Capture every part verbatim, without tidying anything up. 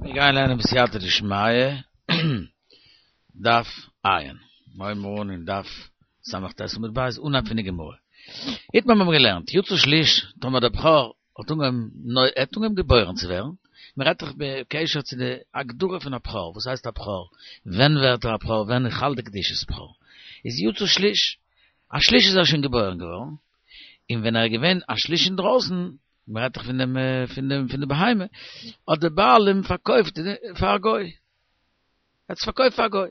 מיר גייען לערנען בסייעתא דשמיא, דף עיין. מיר הייבן אן אין דף ס"ט עמוד ב', אנהייב פון די גמרא. איתמר מיר האבן געלערנט, יצא שליש, טאמער דער בכור האט אנגעהויבן ער האט אנגעהויבן געבוירן צו ווערן, מען רעדט דאך בקשר צו די הגדרה פון א בכור, וואס הייסט א בכור, ווען ווערט ער א בכור, ווען איז חל די קדושת בכור, איז יצא שליש, א שליש איז ער שוין געבוירן געווארן, און ווען ער איז געווען א שליש אינדרויסן, מען רעדט דאך פון דעם פון דעם פון די בהמה, האט דער בעל אים פארקויפט פאר א גוי, ער האט עס פארקויפט פאר א גוי.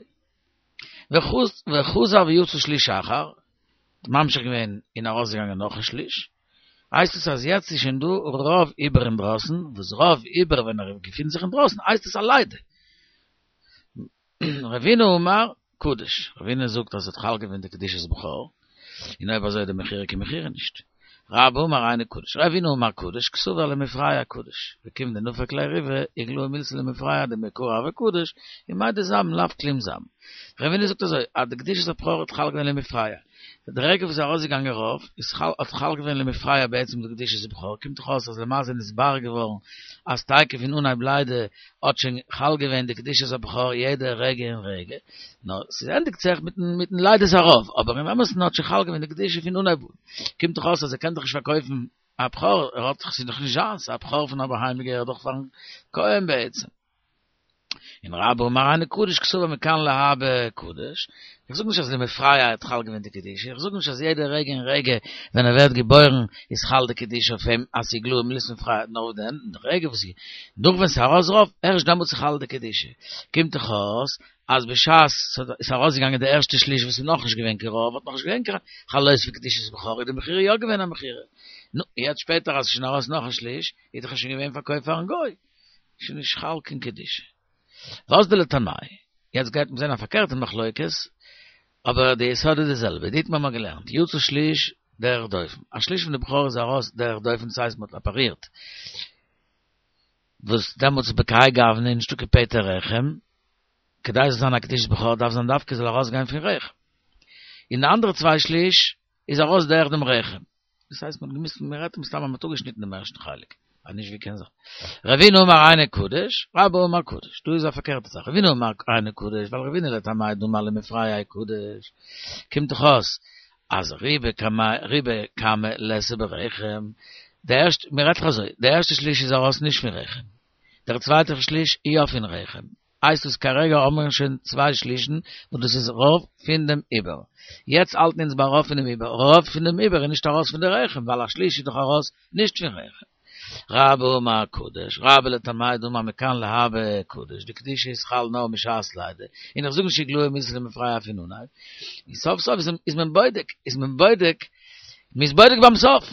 וחזר ויצא שליש אחר, ממשיך געווען און ארויסגעגאנגען נאך א שליש, הייסט עס אז יעצט איז שוין דא רוב עובר אינדרויסן, וואס רוב עובר ווען ער געפינט זיך אינדרויסן הייסט עס א לידה. רבינא אמר קדוש, רבינא זאגט אז עס האט חל געווען די קדושת בכור, און אויב אזוי איז די מכירה קיין מכירה נישט. רבה אמר אינו קדוש, רבינא אמר קדוש, קסבר למפרע קדוש, וכיון דנפק ליה ריבא, איגלאי מילתא למפרע דמעיקרא הוה קדוש, ומאי דזבין לאו כלום זבין. רבינא זאגט אזוי, אז די קדושת הבכור האט חל געווען למפרע, די רגע וואס איז ארויסגעגאנגען רוב, איז חל האט חל געווען למפרע בעצם די קדושת הבכור, קומט דאך אויס אז למעשה איז נתברר געווארן אז תיכף פון אנהייב לידה האט שוין חל געווען די קדושת הבכור יעדע רגע און רגע, נאר ס'ענדיגט זיך מיטן מיטן לידת הרוב, אבער אין אמת'ן האט שוין חל געווען די קדושה פון אנהייב אן, קומט דאך אויס אז ער קען דאך נישט פארקויפן א בכור, ער האט דאך ס'איז דאך נישט זיינס, א בכור פון א בהמה געהערט דאך פארן כהן בעצם. און רבה אמר אינו קדוש קסבר מכאן להבא קדוש, איך זאג נישט אז למפרע האט חל געווען די קדושה, איך זאג נישט אז יעדע רגע און רגע ווען ער ווערט געבוירן איז חל די קדושה אויף אים אז ס'איז איגלאי מילתא למפרע, נאר וואס דען, די רגע וואס איז נאך ווען ס'איז ארויס רוב, ערשט דעמאלטס איז חל די קדושה, קומט דאך אויס אז בשעת ס'איז ארויסגעגאנגען די ערשטע שליש וואס איז נאכנישט געווען קיין רוב האט נאכנישט געווען קיין חלות פון קדושת בכור איז די מכירה יא געווען א מכירה, נו, יעצט שפעטער אז ס'איז שוין ארויס נאך א שליש איז דאך שוין געווען פארקויפט פארן גוי. שוין נישט חל קיין קדושה. ואזדא לטעמייהו, יעצט גייט מען זען א פארקערטע מחלוקת, אבער די יסוד איז די זעלבע, דאיתמר האבן מיר געלערנט, יצא שליש דרך דופן, א שליש פון די בכור איז ארויס דרך דופן דאס הייסט מען האט אפערירט, וואס דעמאלטס איז בכהאי גוונא נישטא קיין פטר רחם, כדי ס'זאל זיין א קדושת בכור דארף זיין דווקא זאל ארויסגיין פון רחם. און די אנדערע צוויי שליש איז ארויס דרך דעם רחם. דאס הייסט מ'האט געמוזט, מ'רעדט מסתם אז מ'האט אפגעשניטן דעם ערשטן חלק, אז נישט ווי קען זיין. רבינא אמר אינו קדוש, רבה אמר קדוש, דא איז א פארקערטע זאך, רבינא אמר אינו קדוש, ווייל רבינא לטעמיה דאמר למפרע קדוש, קומט דאך אויס אז רובא קמיה רובא קמא ליתא ברחם, די ערשטע, מ'רעדט דאך אזוי, די ערשטע שליש איז ארויס נישט פון רחם, דער צווייטער שליש איז יא פון רחם, הייסט עס כרגע האבן מיר שוין צוויי שלישן וואס דאס איז רוב פון דעם עובר. יעצט האלטן אונז ביי רוב פונעם עובר, רוב פון דעם עובר איז נישט ארויס פון די רחם ווייל א שליש איז דאך ארויס נישט פון רחם. רבה אמר קדוש, רבה לטעמיה דאמר מכאן להבא קדוש, די קדושה איז חל נאר משעת לידה, און איך זאג נישט איגלאי מילתא למפרע פון אנהייב, און סוף סוף איז מען בודק, איז מען בודק, מ'איז בודק ביים סוף.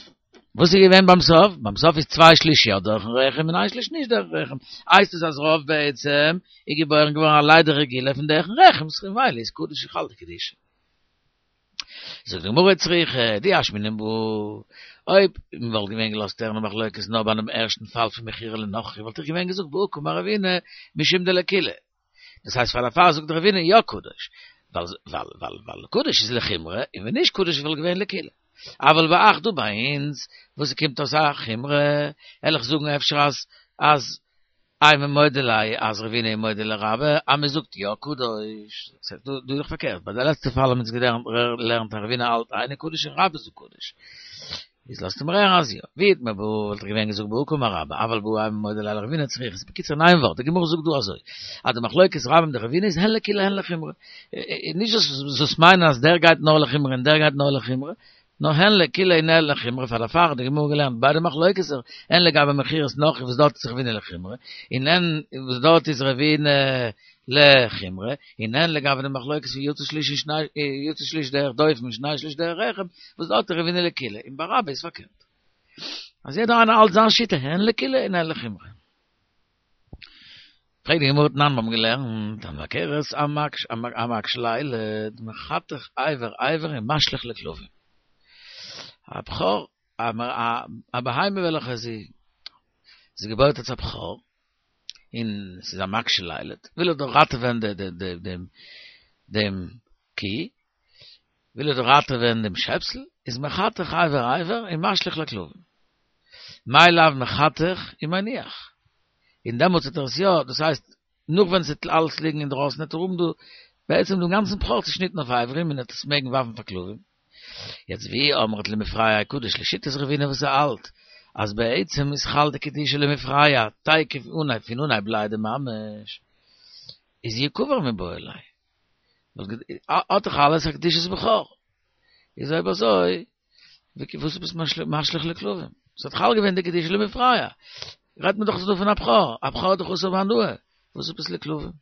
וואס איז געווען ביים סוף? ביים סוף איז צוויי שליש יא דורכן רחם און איין שליש נישט דורכן רחם. הייסט עס אז רוב בעצם איז געבוירן געווארן א לידה רגילה פון דורכן רחם, ממילא איז קדוש חל די קדושה. זאגט די גמרא צריכא דאי אשמעינן בהא, אויב מען וואלט געווען געלאזט הערן די מחלוקת נאר ביי דעם ערשטן פאל פון מכירה לנכרי וואלט איך געווען געזאגט בהא קאמר רבינא משום דלקולא. דאס הייסט פאר דערפאר זאגט רבינא יא קדוש, ווייל ווייל ווייל ווייל קדוש איז לחומרא, און ווען נישט קדוש וואלט געווען לקולא. אבל בהך דא ביי אונז, וואס ס'קומט אויס א חומרא, וועל איך זאגן אפשר אז אז אימא מודה ליה אז רבינא איז מודה לרבה אז מ'זאגט יא קדוש. דא דא איז דאך פארקערט, ביי די לעצטע פאל האבן אונז געלערנט אז רבינא האלט אינו קדוש און רבה זאגט קדוש. איז לאזט אים הערן אז יא. ואי איתמר בהא וואלט איך געווען געזאגט בהא קאמר רבה, אבל בהא אימא מודה ליה לרבינא צריכא. בקיצור אין איין ווארט, די גמרא זאגט דא אזוי, אז די מחלוקת רבה מיט די רבינא איז הן לקולא הן לחומרא. נישט זאלסט מיינען אז דער גייט נאר לחומרא און דער גייט נאר לחומרא, נאר הן לקולא און הן לחומרא, פאר דערפאר האט די גמרא געלערנט ביידע מחלוקת'ער, הן לגבי מכירת נכרי וואס דארט איז רבינא לחומרא, און הן וואס דארט איז רבינא לחומרא, און הן לגבי די מחלוקת פון יצא שליש און שני יצא שליש דרך דופן און שני שליש דרך רחם, וואס דארט איז רבינא לקולא, און ביי רבה איז פארקערט. אז יעדער איינער האלט זיין שיטה הן לקולא און הן לחומרא. פרעגט די גמרא תנן מיר האבן געלערנט הממכרת המקשה לילד מחתך אבר אבר ומשליך לכלבים. א בכור, א בהמה וועלכע זי איז געבוירט אלס א בכור, און ס'איז א מקשה לילד, וויל ער דאך ראטעווען דעם דעם קי, וויל ער דאך ראטעווען דעם שעפסל, איז מחתך אבר אבר ומשליך לכלבים. מאי לאו מחתך ומניח. אין דעמאלטס האט ער עס יא, דאס הייסט, נאך ווען ס'וועט אלעס ליגן אינדרויסן וועט ער האבן דא בעצם דעם גאנצן בכור צעשניטן אויף אברים און ער וועט עס מעגן ווארפן פאר כלבים. יעצט ואי אמרת למפרע קדוש לשיטת רבינא וואס ער האלט אז בעצם איז חל די קדושה למפרע תיכף אנהייב פון אנהייב לידה ממש איז יקבר מיבעי ליה האט דאך אלעס א קדושת בכור איז אויב אזוי וואס ביסט משליך לכלבים? ס'האט חל געווען די קדושה למפרע רעדט מען דאך דא פון א בכור, א בכור איז דאך אסור בהנאה, וואס איז עפעס לכלבים?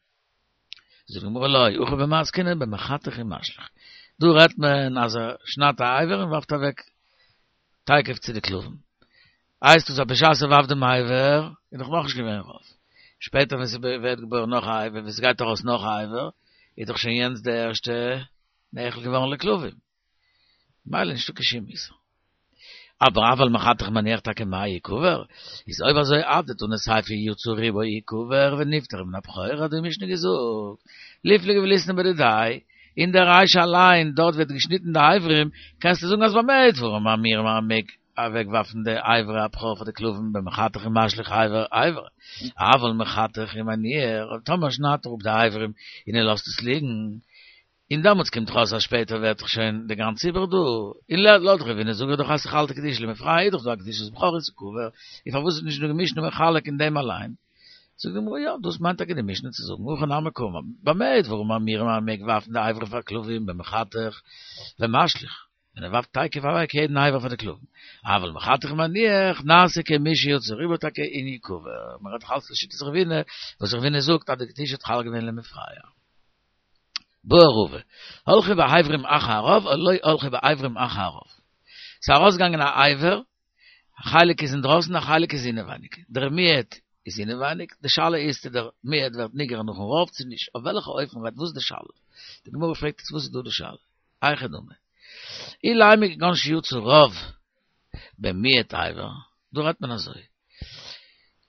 זאגט די גמרא לא, הכא במאי עסקינן במחתך ומשליך. דא רעדט מען אז ער שניידט א אבר און ווארפט אוועק תיכף צו די כלבים. הייסט עס אז בשעת ער ווארפט דעם אבר איז דאך נאכנישט געווען רוב. שפעטער ווען ס'ווערט געבוירן נאך א אבר, ווען ס'גייט ארויס נאך א אבר, איז דאך שוין יענץ די ערשטע נאכל געווארן לכלבים. ממילא נישטא קיין שום איסור. אבער אבל מחתך ומניח טאקע מאי יקבר, איז אויב אזוי אדתני סיפא יצא רובו יקבר ונפטר מן הבכור האט די משנה געזאגט ליפלוג וליתני בדידיה, אין דער רישא אליין דארט ווערט געשניטן די אברים, קענסטו זאגן אז במה דברים אמורים אז מ'מעג אוועקווארפן די אברי הבכור פאר די כלבים במחתך ומשליך אבר אבר, אבל מחתך ומניח, טאמער שניידט ער אפ די אברים און ער לאזט עס ליגן, און דעמאלטס קומט דאך אויס אז שפעטער ווערט דאך שוין די גאנצע עיבור דא, און לויט רבינא זאג איך דאך אז ס'חל די קדושה למפרע איז דאך דא א קדושת בכור און ס'קבר, און פארוואס איז נישט דא די משנה מחלק אין דעם אליין? זאגט די גמרא יא, דאס מיינט טאקע די משנה צו זאגן הכא נמי קאמר, במה דברים אמורים אז מ'מעג ווארפן די אברים פאר כלבים במחתך ומשליך, ווען ער ווארפט תיכף אוועק יעדן אבר פאר די כלבים, אבל מחתך ומניח נעשה כמי שיצא רובו טאקע און יקבר, מ'רעדט דאך אלץ לשיטת רבינא, וואס רבינא זאגט אז די קדושה האט חל געווען למפרע. בעי רבא, הלכו באברים אחר הרוב או לא הלכו באברים אחר הרוב. ס'איז ארויסגעגאנגען א אבר, א חלק איז אינדרויסן א חלק איז אינעווייניג. דער מיעוט איז אינעווייניג, די שאלה איז צו דער מיעוט ווערט נגרר נאכן רוב צו נישט. אויף וועלכע אופן רעדט וואס איז די שאלה? די גמרא פרעגט יעצט וואס איז דא די שאלה? היכי דמי. אילימא כגון שיצא רוב במיעוט אבר, דא רעדט מען אזוי.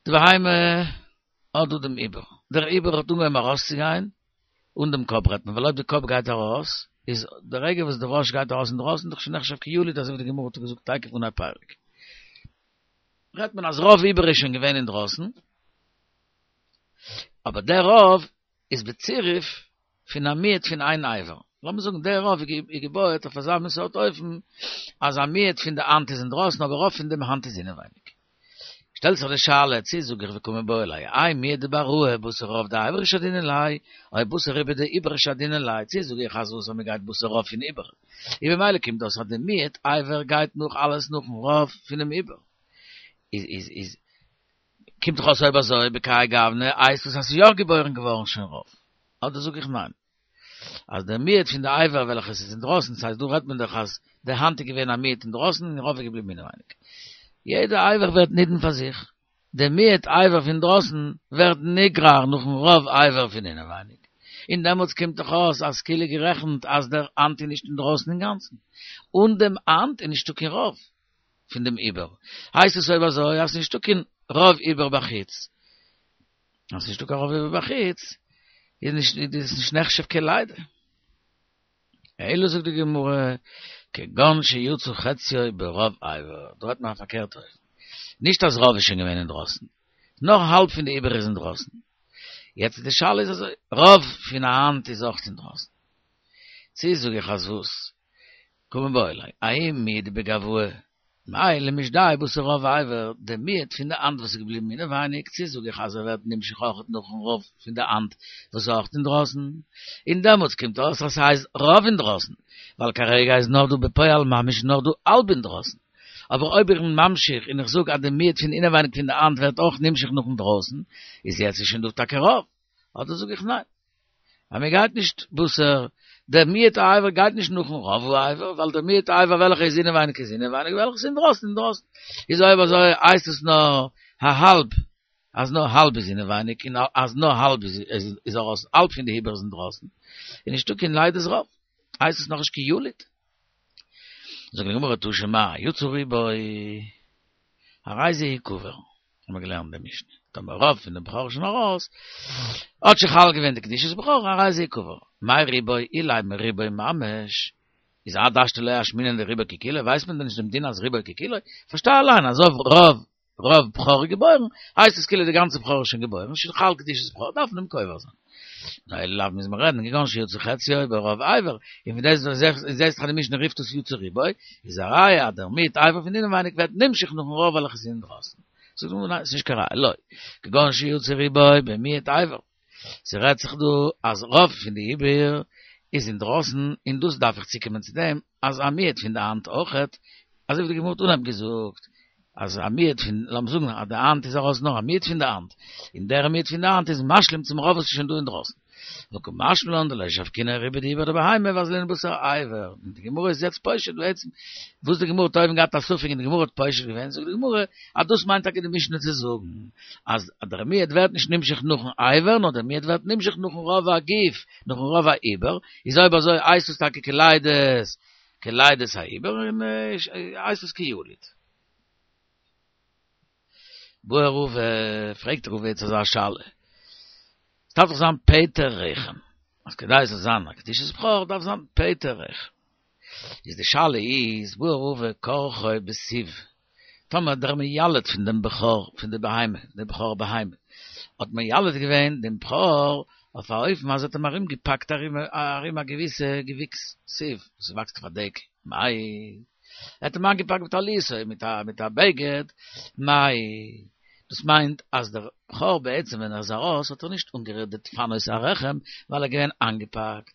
די בהמה האט דא דעם איבר, דער איבר האט אנגעהויבן ארויסצוגיין, אן דעם קאפ רעדט מען, ווייל אויב די קאפ גייט ארויס, איז די רגע וואס די ראש גייט ארויס אינדרויסן איז דאך שוין נחשב כיליד אזוי ווי די גמרא האט געזאגט תיכף אנהייב פרק. רעדט מען אז רוב איבר איז שוין געווען אינדרויסן, אבער דער רוב איז בצירוף פון א מיעוט פון איין אבר. לאמיר זאגן דער רוב איז געבויעט אויף אזא מין סארט אופן אז א מיעוט פון די האנט איז אינדרויסן אבער רוב פון דעם האנט איז אינעווייניג. שטעלט זיך די שאלה, צי זאג איך וקא מיבעי ליה, האי מיעוט דבעראי בתר רוב דאיברא שדינן ליה, או בתר רובא דעיברא שדינן ליה, צי זאג איך אז וואס אז מ'גייט בתר רוב פון עיבור, און במילא קומט אויס אז די מיעוט אבר גייט נאך אלעס נאכן רוב פונעם עיבור, איז איז איז קומט דאך אויס אויב אזוי בכהאי גוונא הייסט עס אז ס'איז יא געבוירן געווארן שוין רוב, אדער זאג איך ניין. אז דער מיעוט פון די אבר וועלכעס איז אינדרויסן, ס'הייסט דא רעדט מען דאך אז די האנט איז געווען א מיעוט אינדרויסן און רוב איז געבליבן אינעווייניג. יעדע אבר ווערט נידון פאר זיך. דער מיעוט אבר פון אינדרויסן ווערט נגרר נאכן רוב אבר פון אינעווייניג. און דעמאלטס קומט דאך אויס אז כאילו גערעכנט אז דער האנט איז נישט אינדרויסן אינגאנצן. אן דעם האנט איז נישטא קיין רוב פון דעם איבר. הייסט עס אויב אזוי אז ס'נישטא קיין רוב איבר בחוץ. אז ס'נישטא קיין רוב איבר בחוץ, איז נישט איז נישט נחשב כלידה. אלא זאגט די גמרא, כגון שיצא חציו ברוב אבר, דא רעדט מען א פארקערטע אופן, נישט אז רוב איז שוין געווען אינדרויסן, נאר האלב פון די איבר איז אינדרויסן, יעצט די שאלה איז אזוי, רוב פון א האנט איז אויך אינדרויסן, צו זאג איך אז וואס? קא מיבעי ליה, ההוא מיעוט דבגואי, מהו למישדי בתר רוב אבר, די מיעוט פון די האנט וואס איז געבליבן אינעווייניג, צו זאג איך אז ער ווערט נמשך אויכעט נאכן רוב פון די האנט וואס איז אויכעט אינדרויסן, און דעמאלטס קומט אויס אז ס'הייסט רוב אינדרויסן, ווייל כרגע איז נאר דא בפועל ממש נאר דא האלב אינדרויסן. אבער אויב איך בין ממשיך און איך זאג אז די מיעוט פון אינעווייניג פון די האנט ווערט אויך נמשך נאכן דרויסן, איז יעצט איז שוין דא טאקע רוב. אדער זאג איך ניין. אז מען גייט נישט בתר, דער מיעוט האבר גייט נישט נאכן רוב האבר, ווייל דער מיעוט האבר וועלכע איז אינעווייניג איז אינעווייניג, וועלכע איז אינדרויסן אינדרויסן. איז אויב אזוי הייסט עס נאר א האלב, אז נאר האלב איז אינעווייניג און אז נאר האלב איז איז ארויס, האלב פון די איבר איז אינדרויסן, איז נישטא קיין לידת רוב, הייסט עס נאכנישט קיין יליד. זאגט די גמרא תא שמע, יצא רובו, הרי זה יקבר. האבן מיר געלערנט די משנה, טאמער רוב פון דעם בכור איז שוין ארויס, האט שוין חל געווען די קדושת בכור, הרי זה יקבר. מאי רובו אילימא רובו ממש, איז עד השתא לא אשמעינן דרובו ככולו, ווייסט מען דען נישט דעם דין אז רובו ככולו? פארשטיי אליין אז אויב רוב רוב בכור געבוירן, הייסט עס כאילו די גאנצע בכור איז שוין געבוירן, שוין חל קדושת בכור, דארף מען אים קובר זיין. נו, אלא לאו מוז מען רעדן, כגון שיצא חציו ברוב אבר, און פון דאס זעסט דאך די משנה רופט עס יצא רובו, איז א ראיה אז דער מיעוט אבר פון אינעווייניג ווערט נמשך נאכן רוב וועלכע איז אינדרויסן. זאגט די גמרא ניין, ס'איז נישט קיין ראיה, לא, כגון שיצא רובו במיעוט אבר, ס'רעדט זיך דא אז רוב פון די עובר איז אינדרויסן, און דאס דארף איך צוקומען צו דעם אז א מיעוט פון די האנט אויכעט, אזוי ווי די גמרא האט אנהייב געזאגט, אז א מיעוט פון, לאמיר זאגן אז די האנט איז ארויס נאר א מיעוט פון די האנט, און דער מיעוט פון די האנט איז משלים צום רוב וואס איז שוין דא אינדרויסן. וקא משמע לן דלא שבקינן רובא דעיברא דבהמה ואזלינן בתר אבר. און די גמרא איז יעצט פושט בעצם וואס די גמרא האט אויבן געהאט א ספק און די גמרא האט פושט געווען, זאגט די גמרא אז דאס מיינט טאקע די משנה צו זאגן אז דער מיעוט ווערט נישט נמשך נאכן אבר נאר דער מיעוט ווערט נמשך נאכן רוב הגוף, נאכן רוב העיבור, איז אויב אזוי הייסט עס טאקע כלידת כלידת העיבור און הייסט עס כיליד. בעי רבא, פרעגט רבא יעצט אזא שאלה, עס דארף דאך זיין פטר רחם, אז כדי עס זאל זיין א קדושת בכור דארף זיין פטר רחם, איז די שאלה איז, בעי רבא כרכו בסיב, טאמער דער מיילד פון דעם בכור פון די בהמה, די בכור בהמה, האט מיילד געווען דעם בכור אויף א אופן אז ער האט אים ארום געפאקט ארום א געוויסע געוויקס, סיב, וואס וואקסט אויף א דקל, מאי, ער האט אים איינגעפאקט בטליתו מיט א מיט א בגד, מאי, דאס מיינט אז דער בכור בעצם ווען ער איז ארויס האט ער נישט אנגערירט די דפנות הרחם ווייל ער איז געווען איינגעפאקט,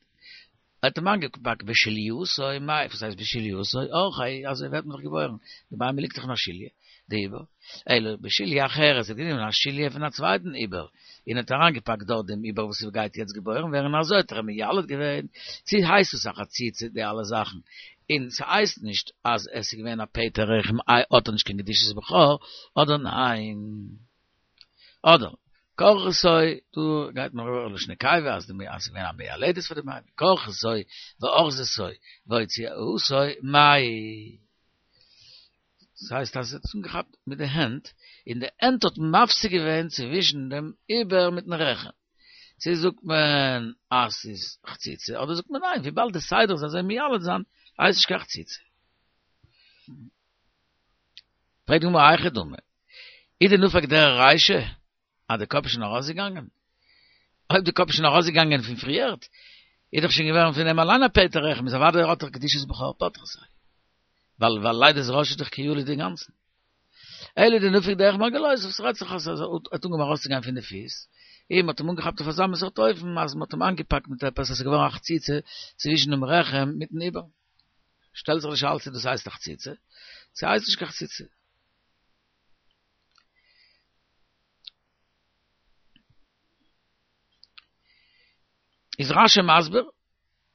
ער האט אים איינגעפאקט בשליתו, מאי, וואס הייסט בשליתו? אורחיה, אזוי ווערט מען דאך געבוירן, די בהמה ליגט דאך אין א שליה, דעיבור, אלא בשליה אחרת, ער האט גענומען א שליה פון א צווייטן עובר, און האט אריינגעפאקט דארט דעם עובר וואס גייט יעצט געבוירן ווערן, אזוי האט ער אים מיילד געווען, צו הייסט עס א חציצה די אלע זאכן, און ס'הייסט נישט אז עס איז געווען א פטר רחם איי האט ער נישט קיין קדושת בכור, אדער ניין? אדער כרכתו, דא גייט מען אריבער לשון נקבה אז די אז ס'איז געווען א מיילדת פאר די בהמה, כרכתו ואחזתו והוציאתו מאי. דאס הייסט אז ער האט עס אנגעכאפט מיט די הענט, און די הענט האט מפסיק געווען צווישן דעם עובר מיטן רחם. צו זאגט מען אז ס'איז חציצה, אדער זאגט מען ניין, וויבאלד די סדר איז אזוי מיילד זיין, הייסט נישט קיין חציצה. פרעגט די גמרא היכי דמי, אי דנפק דרך רישא, אז די קאפ איז שוין ארויסגעגאנגען? אויב די קאפ איז שוין ארויסגעגאנגען פון פריערט, איז דאך שוין געווארן פון אים אליין א פטר רחם, איז אוודאי האט ער קדושת בכור פטרתו. ווייל ווייל לידת ראש איז דאך כיליד אינגאנצן. אלא דנפק דרך מרגלותיו, ס'רעדט זיך אז ער האט אנגעהויבן ארויסצוגיין פון די פיס, און מ'האט אים אנגעכאפט אויף אזא מין סארט אופן אז מ'האט אים איינגעפאקט מיט עפעס אז ס'איז געווארן א חציצה צווישן דעם רחם מיטן עובר. שטעלט זיך די שאלה צו דאס הייסט א חציצה, צו הייסט נישט קיין חציצה. איז רשי מסביר,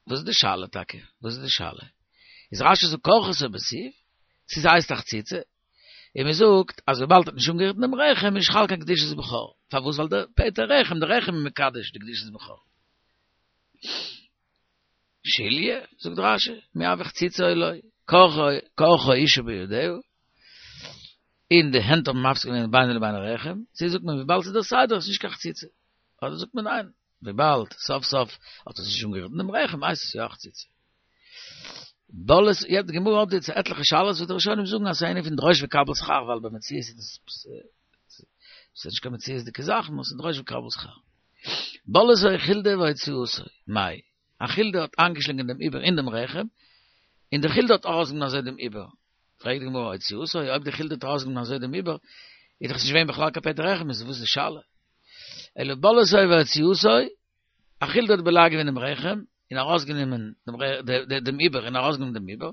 וואס איז די שאלה טאקע? וואס איז די שאלה? איז רשי זאגט כרכתו בסיב, צו ס'הייסט א חציצה, און מען זאגט אז וויבאלד האט נישט אנגערירט דעם רחם איז נישט חל קיין קדושת בכור, פארוואס? ווייל דער פטר רחם, דער רחם איז מקדש די קדושת בכור. שליה, זאגט רשי, מי הוי חציצה או לא, כרכה אשה בידיה, און די הענט האבן מפסיק געווען בינו לבין הרחם, צו זאגט מען וויבאלד ס'איז דער סדר איז נישט קיין חציצה, אדער זאגט מען ניין, וויבאלד סוף סוף האט עס נישט אנגערירט דעם רחם הייסט עס יא א חציצה. בלעת, יעצט די גמרא האט יעצט עטליכע שאלות וואס די ראשונים זאגן אז ס'איז א ענין פון דרוש וקבל שכר ווייל במציאות איז דאס ס'איז נישט קיין מציאות'דיגע זאך נאר ס'איז דרוש וקבל שכר. בלעתו חולדה והוציאתו, מאי? א חולדה האט איינגעשלינגען דעם עובר אין דעם רחם, און די חולדה האט ארויסגענומען אזוי דעם עובר. פרעגט די גמרא הוציאתו, אויב די חולדה האט ארויסגענומען אזוי דעם עובר, איז דאך עס נישט געווען בכלל קיין פטר רחם, איז וואס איז די שאלה? אלא בלעתו והוציאתו, א חולדה האט בולע געווען דעם רחם, און ארויסגענומען דעם עובר, און ארויסגענומען דעם עובר,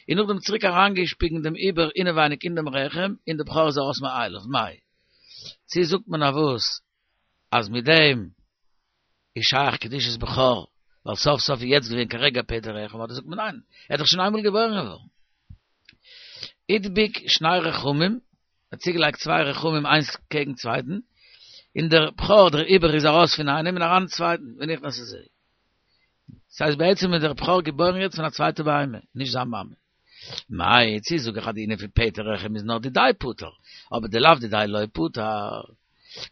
און נאכדעם צוריק אריינגעשפיגן דעם עובר אינעווייניג אין דעם רחם, און דער בכור איז ארויס מאליו, מאי? צו זאגט מען אויף וואס אז מיט דעם איז שייך קדושת בכור, ווייל סוף סוף איז יעצט געווען כרגע פטר רחם, אדער זאגט מען ניין, ער איז דאך שוין איינמאל געבוירן געווארן. הדביק שני רחמים, ער האט צוגעלייגט צוויי רחמים איינס קעגן צווייטן, און דער בכור, דער עובר איז ארויס פון איינעם און אריין אין צווייטן, ונכנס לזה. ס'הייסט בעצם איז דער בכור געבוירן יעצט פון א צווייטע בהמה, נישט זיין מאמע. מאי, צי זאג איך אז די ענין פון פטר רחם איז נאר דידיה פטר, אבער דלאו דידיה לא פטר.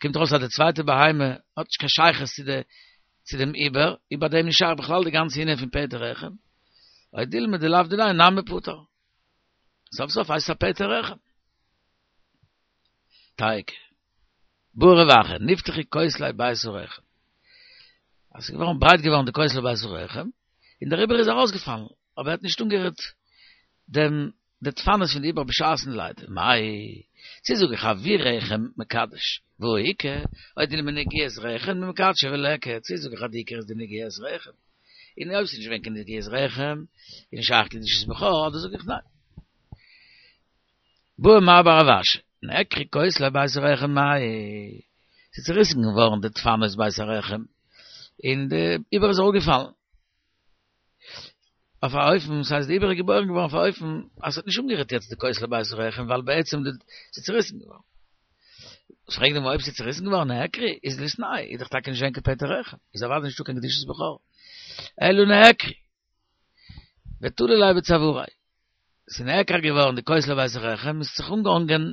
קומט ארויס אז די צווייטע בהמה האט נישט קיין שייכות צו די צו דעם עובר, איז ביי דעם נישט שייך בכלל די גאנצע ענין פון פטר רחם. או דילמא דלאו דידיה נמי פטר. סוף סוף הייסט עס א פטר רחם. תיקו. בעי רב אחא, נפתחו כותלי בית הרחם. אז ס'איז געווארן ברייט געווארן די כותלי בית הרחם, און דער עובר איז ארויסגעפאלן, אבער ער האט נישט אנגערירט דעם די דפנות פון די עובר בשעת'ן לידה. מאי, צו זאג איך אבי רחם מקדש, והא איכא, או דילמא נגיעת רחם דמקדשא וליכא, צו זאג איך אז די עיקר איז די נגיעת רחם, און אויב ס'איז נישט געווען קיין נגיעת רחם, איז נישט שייך קדושת בכור, אדער זאג איך ניין. בעי מר בר רב אשי, נעקרו כותלי בית הרחם מאי, ס'איז צוריסן געווארן די דפנות בית הרחם, און די עובר איז אראפגעפאלן. אויף א אופן, ס'הייסט די עובר איז געבוירן געווארן אויף א אופן אז ס'האט נישט אנגערירט יעצט די כותלי בית הרחם ווייל בעצם די ס'איז צוריסן געווארן. פרעגט די גמרא אויב ס'איז צוריסן געווארן נעקרו איז ליתנהו איז דאך טאקע נישט געווען קיין פטר רחם, איז אוודאי נישטא קיין קדושת בכור. אלא נעקרו. ותלו ליה בצואריה. ס'איז נעקר געווארן די כותלי בית הרחם, איז זיך אנגעהאנגען,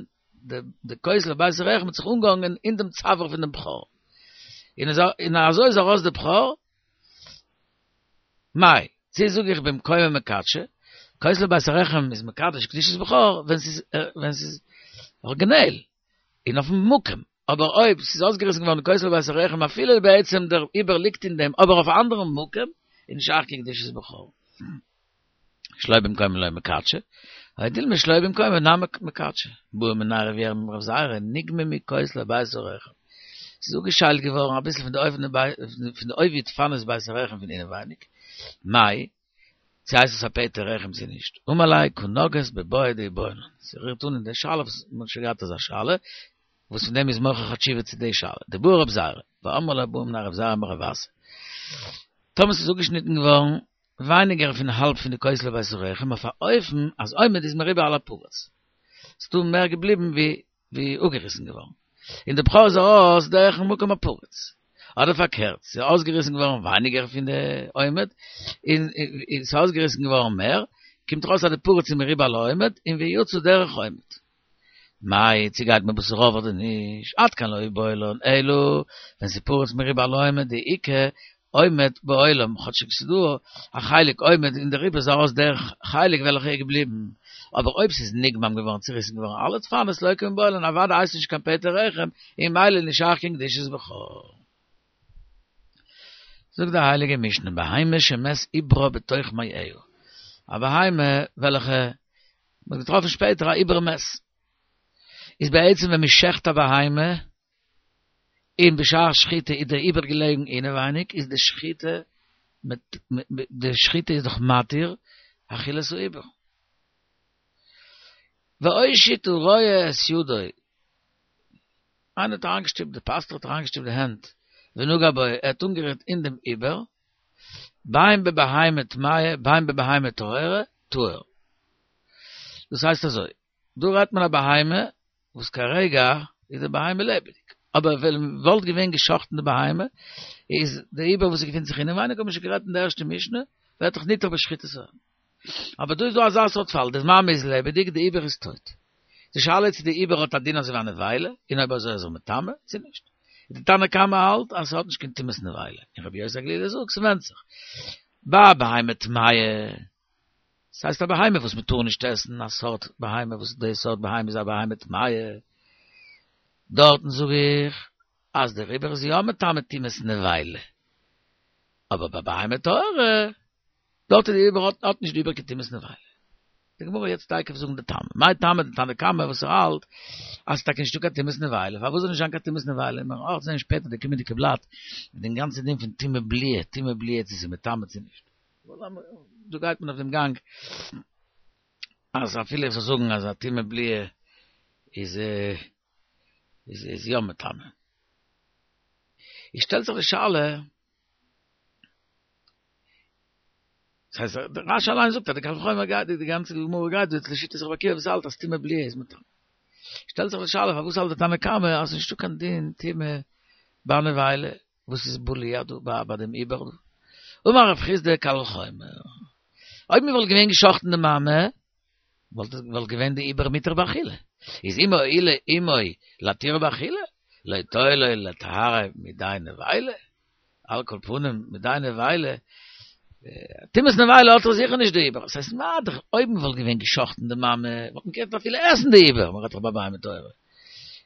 די כותלי בית הרחם האט זיך אנגעהאנגען אין דעם צוואר פון דעם בכור. און אזוי איז ארויס די בכור, מאי, צי זאג איך במקומה מקדשא, כותלי בית הרחם איז מקדש קדושת בכור ווען ס'איז ווען ס'איז אריגינעל און אויפן מקום, אבער אויב ס'איז אויסגעריסן געווארן די כותלי בית הרחם אפילו בעצם דער עובר ליגט אין דעם אבער אויף א אנדערן מקום, איז נישט שייך קיין קדושת בכור. שלא במקומה לא מקדשא, או דילמא שלא במקומה נמי מקדשא, בעא מיניה רב ירמי' מרב זירא, נגממו כותלי בית הרחם. ס'איז אפגעשיילט געווארן אביסל פון די פון די עובי דפנות בית הרחם פון אינעווייניג, מאי, צו הייסט עס א פטר רחם צו נישט, אמר ליה קא נגעת בבעיא דאיבעיא לן, ס'רירט אן אין די שאלה וואס מ'האט שוין געהאט אזא שאלה, וואס פון דעם איז מוכרח א תשובה צו די שאלה, דבעי רב זירא, ואמרי לה בעא מיניה רב זירא מרב אסי. טאמער ס'איז אפגעשניטן געווארן ווייניגער פון האלב פון די כותלי בית הרחם אויף א אופן אז עומד איז מרובה על הפרוץ. ס'דא מער געבליבן ווי ווי אפגעריסן געווארן. און די בכור איז ארויס דורכן מקום הפרוץ. אדער פארקערט, ס'איז אויסגעריסן געווארן ווייניגער פון די עומד, און ס'איז אויסגעריסן געווארן מער, קומט ארויס אז די פרוץ איז מרובה על העומד, און ויצא דרך עומד. מאי, צו גייט מען בתר רוב אדער נישט? עד כאן לא איבעיא לן, אלא ווען ס'איז פרוץ מרובה על העומד דאיכא עומד בעולם, כאטשיג ס'איז דא א חלק עומד און דער עובר איז ארויס דרך חלק וועלכע איז געבליבן, אבער אויב ס'איז נגמם געווארן צוריסן געווארן אלע דפנות לא קמיבעיא לן אוודאי הייסט נישט קיין פטר רחם און ממילא נישט שייך קיין קדושת בכור. זאגט די הייליגע משנה בהמה שמת עוברה בתוך מעיה, א בהמה וועלכע מ'האט געטראפן שפעטער א עובר מת, איז בעצם ווען מ'שעכט א בהמה און בשעת שחיטה איז דער עובר געלעגן אינעווייניג איז די שחיטה די שחיטה איז דאך מתיר אכילת העובר. והושיט הרועה את ידו, איינער האט אריינגעשטופט, די פאסטוך האט אריינגעשטופט די הענט, ונגע בו, ער האט אנגערירט אין דעם עובר, בין בבהמה טמאה בין בבהמה טהורה, טהור. דאס הייסט אזוי, דא רעדט מען א בהמה וואס כרגע איז די בהמה לעבעדיג, אבער ווען וואלט געווען גע'שחט'ן די בהמה, איז די עובר וואס געפינט זיך אינעווייניג האט מען שוין גערעדט אין די ערשטע משנה, ווערט דאך ניתר בשחיטת ה. אבער דא איז דא אזא סארט פאל, די מאמע איז לעבעדיג, די עובר איז טויט. די שאלה איז צו די עובר האט א דין אזוי ווי א נבילה, און אויב אזוי איז ער מטמא, צו נישט. די תנא קמא האלט אז ס'האט נישט קיין טומאת נבילה, און רבי יוסי הגלילי זאגט ס'ווענדט זיך. ביי בהמה טמאה, ס'הייסט א בהמה וואס מ'טאר נישט עסן, א סארט בהמה וואס די סארט בהמה איז א בהמה טמאה, דארטן זאג איך אז דער עובר איז יא מטמא טומאת נבילה. אבער ביי בהמה טהורה, דארט איז די עובר האט האט נישט די עובר קיין טומאת נבילה. די גמרא יעצט תיכף זאגן די טעם. מאי טעמא דתנא קמא וואס ער האלט אז ס'טאקע נישטא קיין טומאת נבילה, פארוואס זאל נישט זיין קיין טומאת נבילה? מיר וועלן אויך זען שפעטער די קומענדיגע בלאט מיט דעם גאנצן דין פון טומאה בלועה, טומאה בלועה צו ס'איז מטמא צו נישט. דא גייט מען אויף דעם גאנג אז אפילו איך זאל זאגן אז א טומאה בלועה איז איז איז יא מטמא. איז שטעלט זיך די שאלה, דאס הייסט דער רש"י אליין זאגט אז די קל וחומר גייט די גאנצע גמרא גייט דא לשיטת רבי עקיבא וואס האלט אז טומאה בלועה איז מטמא. שטעלט זיך די שאלה פארוואס האלט די תנא קמא אז ס'איז נישטא קיין דין טומאה ביי נבילה וואס איז בלוע דא ביי ביי דעם עובר דא. אמר רב חסדא קל וחומר אויב מ'וואלט געווען גע'שחט'ן די מאמע וואלט וואלט געווען די עובר מותר באכילה. איז אם הואילה אמו להתירו באכילה לא תואיל לו לטהרו מידי נבילה. על כל פנים מידי נבילה, טומאת נבילה האט ער זיכער נישט די עובר, עס הייסט מה דאך אויב מען וואלט געווען גע'שחט'ן די מאמע וואלט מען געקענט אפילו עסן די עובר, מען רעדט דאך ביי בהמה טהורה,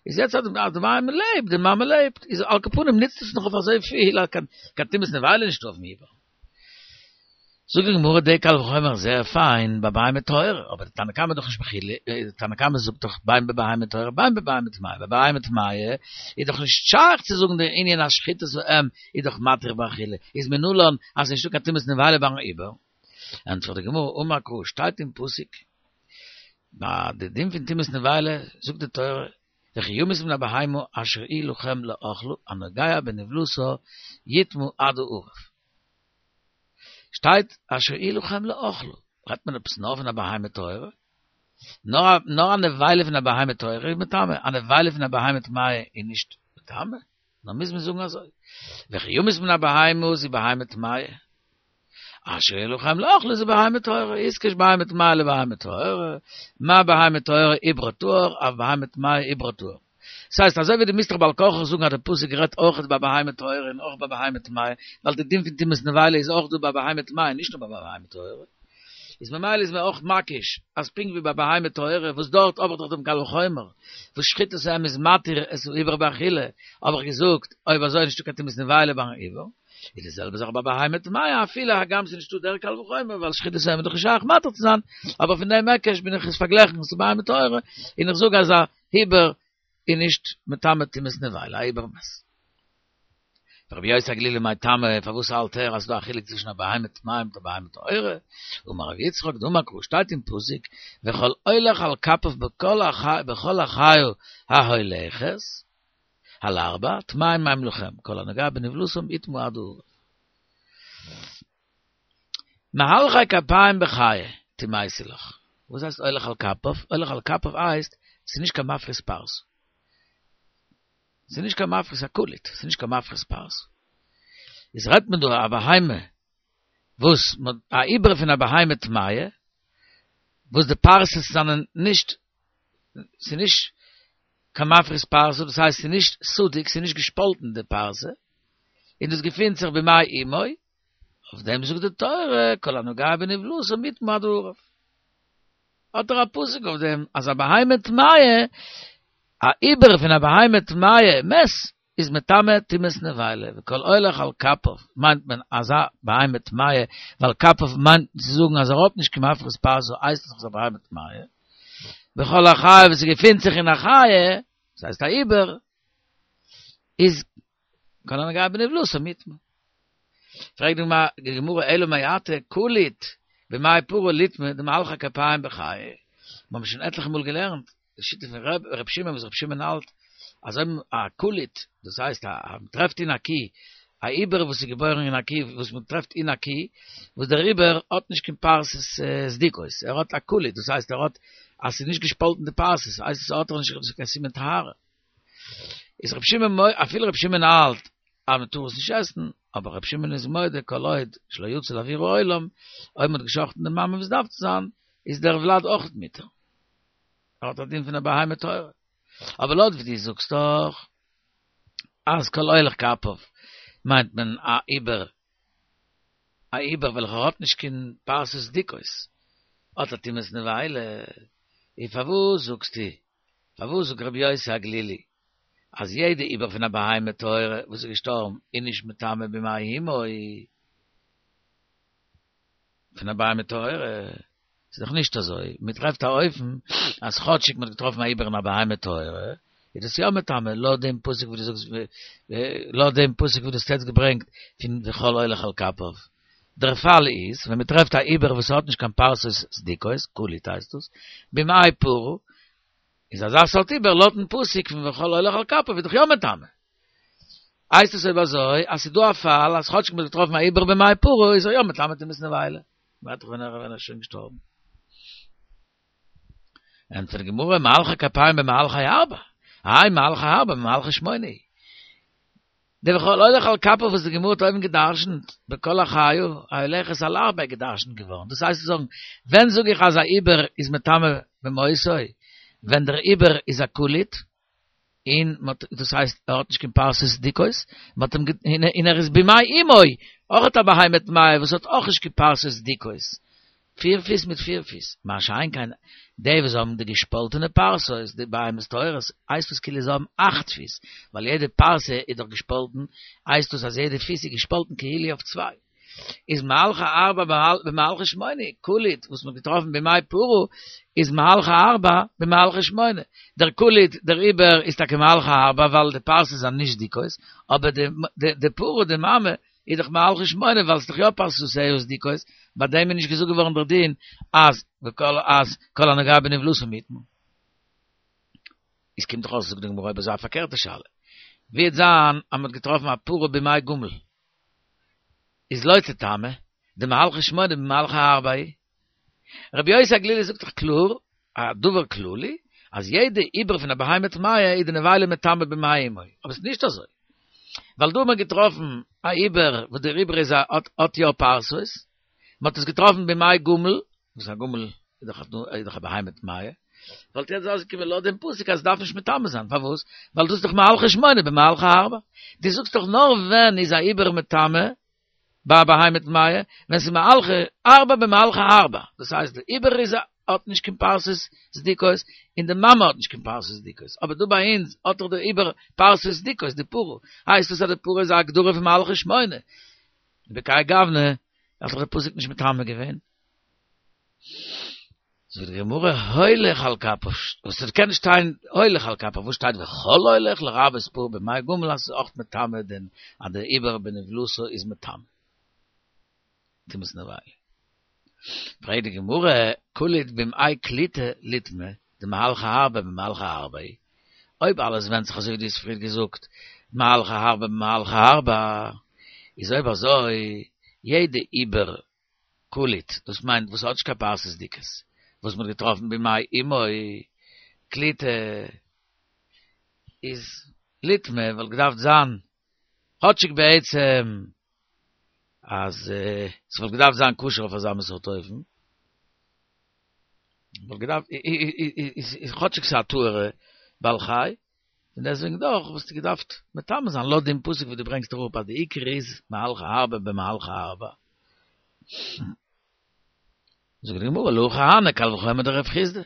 איז יעצט אז די בהמה לעבט, די מאמע לעבט, איז על כל פנים ניצט עס נאך אויף אזוי פיל, אז קיין טומאת נבילה נישט אויפן עובר. זאגט די גמרא דער קל וחומר זייער פיין ביי בהמה טהורה, אבער די תנא קמא דאך נישט מחולק, די תנא קמא זאגט דאך בין בבהמה טהורה בין בבהמה טמאה, ביי בהמה טמאה איז דאך נישט שייך צו זאגן דער ענין אז שחיטת האם איז דאך מתיר באכילה, איז מנלן אז ס'נישטא קיין טומאת נבילה ביים עובר? ענטפערט די גמרא, אמר קרא, שטייט אין פסוק ביי די דין פון טומאת נבילה, זאגט די תורה, וכי ימות מן הבהמה אשר היא לכם לאכלה הנוגע בנבלתה יטמא עד הערב. שטייט אשר היא לכם לאכלה, רעדט מען עפעס נאר פון א בהמה טהורה? נאר נאר א נבילה פון א בהמה טהורה איז מטמא, א נבילה פון א בהמה טמאה איז נישט מטמא? נאר מוז מען זאגן אזוי, וכי ימות מן הבהמה זו בהמה טמאה, אשר היא לכם לאכלה זו בהמה טהורה, איתקש בהמה טמאה לבהמה טהורה, מה בהמה טהורה עוברה טהור, אף בהמה טמאה עוברה טהור. דאס הייסט, אזוי ווי דו מוזט דאך בעל כרחך זאגן אז דער פסוק רעדט אויך ביי בהמה טהורה און אויך ביי בהמה טמאה, ווייל די דין פון טומאת נבילה איז אויך דא ביי בהמה טמאה נישט נאר ביי בהמה טהורה. איז ממילא איז מען אויך מקיש אז פונקט ווי ביי בהמה טהורה וואס דארט האב איך דאך דעם קל וחומר וואס שחיטת האם איז מתיר את העובר באכילה, האב איך געזאגט אויב אזוי איז נישטא קיין טומאת נבילה ביים עובר, איז די זעלבע זאך ביי בהמה טמאה אפילו הגם ס'איז נישטא דער קל וחומר ווייל שחיטת האם איז דאך נישט שייך מתיר צו זיין, אבער פון דעם היקש בין איך עס פארגלעכן צו בהמה טהורה און איך זאג אז א עובר איז נישט מטמא טומאת נבילה, א עובר מת. רבי יוסי הגלילי מאי טעמא, פארוואס האלט ער אז ס'דא א חילוק צווישן א בהמה טמאה מיט א בהמה טהורה? אמר רבי יצחק דאמר קרא שטייט אין פסוק וכל הולך על כפיו בכל החיה ההולכת על ארבע טמאים הם לכם כל הנוגע בנבלתם יטמא עד הערב. מהלכי כפיים בחיה טמאתי לך. וואס הייסט הולך על כפיו? הולך על כפיו הייסט ס'איז נישט קיין מפריס פרסה. ס'איז נישט קיין מפריס א כלית, ס'איז נישט קיין מפריס פרסה. איז רעדט מען דא א בהמה וואס א עובר פון א בהמה טמאה, וואס די פרסות זענען נישט, ס'איז נישט קיין מפריס פרסה, דאס הייסט ס'איז נישט סדוק, ס'איז נישט געשפאלטן די פרסה, און דאס געפינט זיך במעי אמו, אויף דעם זאגט די תורה, כל הנוגע בנבלתם יטמא עד הערב. האט ער א פסוק אויף דעם אז א בהמה טמאה, א עובר פון א בהמה טמאה מת, איז מטמא טומאת נבילה, וכל הולך על כפיו מיינט מען אזא בהמה טמאה, ווייל כפיו מיינט צו זאגן אז ער האט נישט קיין מפריס פרסה הייסט עס א בהמה טמאה, וכל החיה וואס געפינט זיך אין א חיה, דאס הייסט א עובר, איז כל הנוגע בנבלתם יטמא. פרעגט די גמרא אלא מעתה כלית במעי פרה ליטמא דמהלכי כפיים בחיה, מיר האבן שוין עטליכע מאל געלערנט די שיטה פון ר' שמעון וואס ר' שמעון האלט אז אויב א כלית, דאס הייסט א מען טרעפט אין א קי א עובר וואס איז געבוירן אין א קי וואס מען טרעפט אין א קי וואס דער עובר האט נישט קיין פרסות סדוקות, ער האט א כלית, דאס הייסט ער האט אז ס'איז נישט געשפאלטן די פרסות, הייסט עס האט ער נישט קיין סימן טהרה. איז ר' שמעון אפילו ר' שמעון האלט אז מען טאר עס נישט עסן, אבער ר' שמעון איז מודה כל עוד שלא יצא לאוויר העולם, אויב מען האט געשחט'ן די מאמע ווי עס דארף צו זיין, איז דער ולד אויך מותר. ער האט א דין פון א בהמה טהורה. אבער לויט ווי דו זאגסט דאך אז כל הולך כפיו מיינט מען א עובר, א עובר וועלכער האט נישט קיין פרסות סדוקות, האט א טומאת נבילה, און פארוואס זאגסטו פארוואס זאגט רבי יוסי הגלילי אז יעדע עובר פון א בהמה טהורה וואס איז געשטארבן איז נישט מטמא במעי אמו פון א בהמה טהורה? ס'איז דאך נישט אזוי, מען טרעפט א אופן אז כאטשיג מען האט געטראפן א עובר אין א בהמה טהורה איז דאס יא מטמא, לויט דעם פסוק וואס דו זאגסט, לויט דעם פסוק וואס דו האסט יעצט געברענגט פון וכל הולך על כפיו. דער פאל איז ווען מען טרעפט א עובר וואס האט נישט קיין פרסות סדוקות, כלית הייסט דאס, במעי פרה, איז אזא סארט עובר לויטן פסוק פון וכל הולך על כפיו איז דאך יא מטמא. הייסט עס אויב אזוי אז ס'איז דא א פאל אז כאטשיג מ'האט געטראפן א עובר במעי פרה איז ער יא מטמא טומאת נבילה. מ'רעדט דאך ווען ער איז שוין געשטארבן. ענטפערט די גמרא, מהלכי כפיים במהלכי ארבע, האי מהלכי ארבע במהלכי שמונה. די וכל הולך על כפיו וואס די גמרא האט אויבן גע'דרש'נט, בכל החיה ההולכת על ארבע איז גע'דרש'נט געווארן. דאס הייסט צו זאגן, ווען זאג איך אז א עובר איז מטמא במותו? ווען דער עובר איז א כלית, און מ'האט, דאס הייסט ער האט נישט קיין פרסות סדוקות, מ'האט אים, און ער איז במעי אמו, אויך א בהמה טמאה וואס האט אויך נישט קיין פרסות סדוקות. פיר פיס מיט פיר פיס. מה שאין כן, די וואס האבן די געשפאלטענע פרסות, די בהמות טהורות, הייסט דאס כאילו זיי האבן אכט פיס, ווייל יעדע פרסה איז דאך געשפאלטן, הייסט דאס אז יעדע פיס איז געשפאלטן כאילו אויף צוויי. איז מהלכא ארבע במהלכא שמונה, כולית וואס מ'האט געטראפן במעי פרה איז מהלכא ארבע במהלכא שמונה. דער כולית, דער עובר איז טאקע מהלכא ארבע ווייל די פרסות זענען נישט דקות, אבער די די פרה, די מאמע, איז דאך מהלכא שמונה ווייל ס'איז דאך יא פרסותיה דקות, ביי דעם איז נישט געזאגט געווארן דער דין אז וכל אז כל הנוגע בנבלתה יטמא. איז קומט דאך אויס זאגט די גמרא אויב אזוי א פארקערטע שאלה. ווי וועט זיין אז מ'האט געטראפן א פרה במעי גמל איז לא תטמא, דמהלכא שמונה במהלכא ארבע היא. רבי יוסי הגלילי זאגט דאך קלאר א דבר כללי אז יעדע עובר פון א בהמה טמאה איז די נבילה מטמא במעי אמו, אבער ס'איז נישט אזוי ווייל דא האט מען געטראפן א עובר וואס דער עובר איז א האט האט יא פרסות, מען האט עס געטראפן במעי גמל, וואס א גמל איז דאך איז דאך א בהמה טמאה, וואלט יעצט אויסגעקומען לויט דעם פסוק אז עס דארף נישט מטמא זיין, פארוואס? ווייל דאס איז דאך מהלכא שמונה במהלכא ארבע, דו זאגסט דאך נאר ווען איז א עובר מטמא ביי א בהמה טמאה, ווען ס'איז מהלכא ארבע במהלכא ארבע, דאס הייסט די עובר איז האט נישט קיין פרסות דקות, און די מאמע האט נישט קיין פרסות דקות, אבער דא ביי אונז האט דאך די עובר פרסות דקות, די פרה, הייסט עס אז די פרה איז א הגדרה פון מהלכא שמונה, בכהאי גוונא האט דאך די פסוק נישט מטמא געווען. זאגט די גמרא הולך על כפיו, וואס עס קען נישט שטיין הולך על כפיו, וואס שטייט וכל הולך לרבות פרה במעי גמל אז עס איז אויך מטמא דען אז דער עובר בנבלתה איז מטמא. טומאת נבילה. פרעגט די גמרא, כולית במעי כליטא ליטמא, דמהלכא ארבע במהלכא ארבע היא, אויב אלעס ווענדט זיך אזוי ווי דו האסט פריער געזאגט, מהלכא ארבע במהלכא ארבע, איז אויב אזוי, יעדע עובר כלוט, דאס מיינט וואס האט נישט קיין פרסות דקות, וואס מ'האט געטראפן במעי אמו כליטא, איז ליטמא וואלט געדארפט זיין כאטשיג בעצם אז ס'וואלט געדארפט זיין כשר אויף אזא מין סארט אופן, וואלט געדארפט איז כאטשיג ס'איז א טהור'ע בעל חי, און דעסוועגן דאך וואלסטו געדארפט מטמא זיין לויט דעם פסוק וואס דו ברענגסט אראפ אז די עיקר איז מהלכא ארבע במהלכא ארבע. זאגט די גמרא להכי הני קל וחומר דרב חסדא.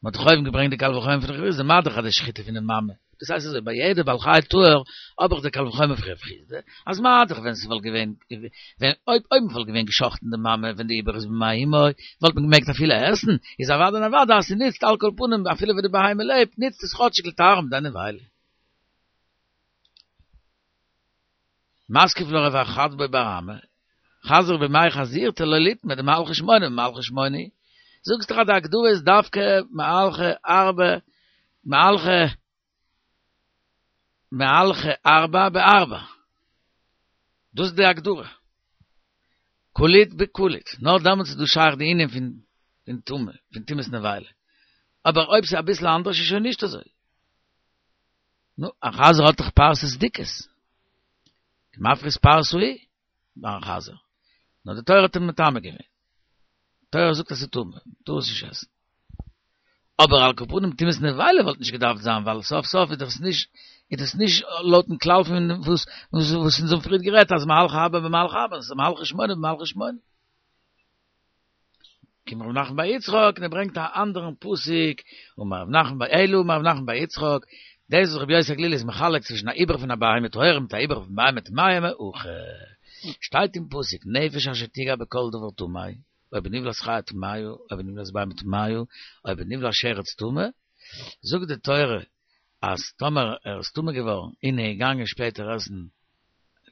מען האט דאך אויבן געברענגט די קל וחומר פון רב חסדא, מה דאך אז די שחיטה פון די מאמע, דאס הייסט אזוי ביי יעדע בעל חי טהור האב איך די קל וחומר פון רב חסדא, אז מה דאך ווען ס'וואלט געווען ווען אויב אויב מ'וואלט געווען גע'שחט'ן די מאמע ווען די עובר איז במעי אמו וואלט מען געמעגט אפילו עסן, איז אוודאי און אוודאי אז ס'נוצט על כל פנים אפילו ווען די בהמה לעבט נוצט עס כאטשיג לטהרה מידי נבילה. מתקיף לה רב חדבו בר אמי, חזיר במעי חזירתו לא ליטמא דמהלכא שמונה במהלכא שמונה, זאגסט דאך אז די הגדרה איז דווקא מהלכא ארבע מהלכא מהלכא ארבע בארבע, דאס איז די הגדרה, כלוט בכלוט, נאר דעמאלטס איז דא שייך די ענין פון פון טומאה, פון טומאת נבילה, אבער אויב ס'איז אביסל אנדערש איז שוין נישט אזוי. נו, א חזיר האט דאך פרסות דקות. כמפריס פרסה הוא ביי א חזיר. נאר די תורה האט אים מטמא געווען. די תורה זאגט אז ס'איז טמא, מ'טאר עס נישט עסן. אבער על כל פנים טומאת נבילה וואלט נישט געדארפט זיין, ווייל סוף סוף איז דאס נישט, איז דאס נישט לויטן כלל פון וואס וואס אונז האבן פריערט גערעדט אז מהלכא ארבע במהלכא ארבע, ס'איז מהלכא שמונה במהלכא שמונה. קומט רב נחמן בר יצחק און ער ברענגט א אנדערן פסוק, אמר רב נחמן בר אלא אמר רב נחמן בר יצחק, דאס וואס רבי יוסי הגלילי איז מחלק צווישן א עובר פון א בהמה טהורה מיט א עובר פון בהמה טמאה מהכא, שטייט אין פסוק נפש אשר תגע בכל דבר טמא, או בנבלת חיה טמאה, או בנבלת בהמה טמאה, או בנבלת שרץ טמא, זאגט די תורה אז טאמער ער איז טמא געווארן און ער איז געגאנגען שפעטער עסן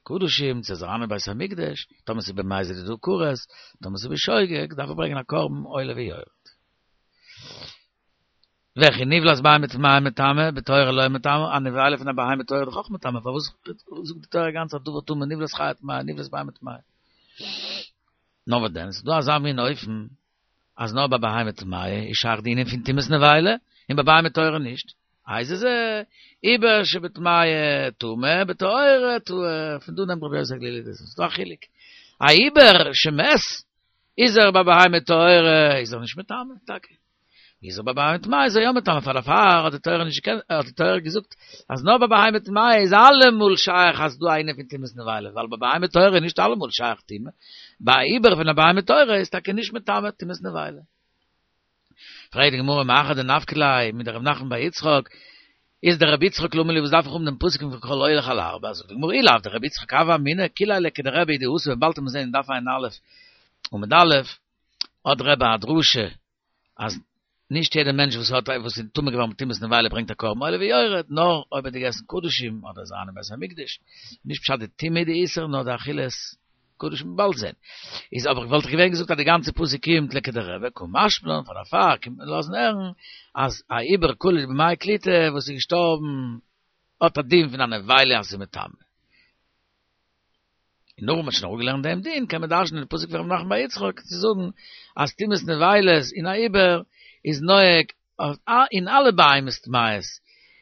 קדשים צו אריין אין בית המקדש, טאמער ס'איז במזיד איז דא כרת, טאמער ס'איז בשוגג דארף ער ברענגען א קרבן עולה ויורד. וכי נבלת בהמה טמאה מטמא, בטהורה לא מטמא, א נבילה פון א בהמה טהורה איז דאך אויך מטמא, פארוואס זאגט די תורה גאנץ א דבר טמא נבלת חיה טמאה, נבלת בהמה טמאה? נאר וואס דען, ס'איז דא אזא מין אופן אז נאר ביי בהמה טמאה איז שייך די ענין פון טומאת נבילה, און ביי בהמה טהורה נישט. איז זה עובר שבטמאה טמא בטהורה טהור, פון דא נעמט רבי יוסי הגלילי דאס, ס'איז דא א חילוק, א עובר שמת איז ער ביי בהמה טהורה איז ער נישט מטמא, טאקע, איז אבער בהמה טמאה איז ער יא מטמא, פאר דערפאר האט די תורה נישט געקענט, האט די תורה געזאגט אז נאר ביי בהמה טמאה איז אלעמאל שייך אז דא א ענין פון טומאת נבילה, ווייל ביי בהמה טהורה איז נישט אלעמאל שייך טומאה, ביי א עובר פון א בהמה טהורה איז טאקע נישט מטמא טומאת נבילה. פרעגט די גמרא מאחר דנפקא ליה מדרב נחמן בר יצחק, איז דרבי יצחק למה לי וואס דארף איך האבן דעם פסוק פון כל הולך על ארבע, זאגט די גמרא אי לאו דרבי יצחק הוה אמינא כוליה לכדרבי הוא דאתא באלד וועט מען זען אין דף ע"א עמוד א' האט רבי א דרשה אז נישט יעדער מענטש וואס האט וואס איז טמא געווארן מיט טומאת נבילה ברענגט א קרבן עולה ויורד, נאר אויב ער האט געגעסן קדשים אדער איז אריין אין בית המקדש, נישט פשט די טומאה איז די איסור נאר די אכילת קדשים באלד זען. איז אבער וואלט איך געווען געזאגט אז די גאנצע פסוק קומט לכדרבי קא משמע לן פאר דערפאר קומט מען לאזן הערן אז א עובר כלול במעי קליטה וואס איז געשטארבן האט א דין פון א נבילה אז ס'איז מטמא. און נאך וואס מ'האט שוין אראפגעלערנט דעם דין קען מען דרש'נען די פסוק פון ר' נחמן בר יצחק צו זאגן אז טומאת נבילות אין א עובר איז נוהג אין אלע בהמות טמאות,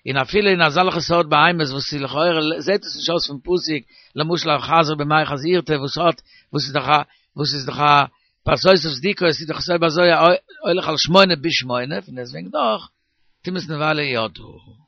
און אפילו אין אזעלכע סארט בהמות וואס איז לכאורה זעט עס נישט אויס פון פסוק, למשל א חזיר במעי חזירתו וואס האט וואס איז דאך א וואס איז דאך א פרסותיו סדוקות איז דאך אזוי ביי אזוי א הולך על שמונה בשמונה, פון דעסטוועגן דאך טומאת נבילה יא דא.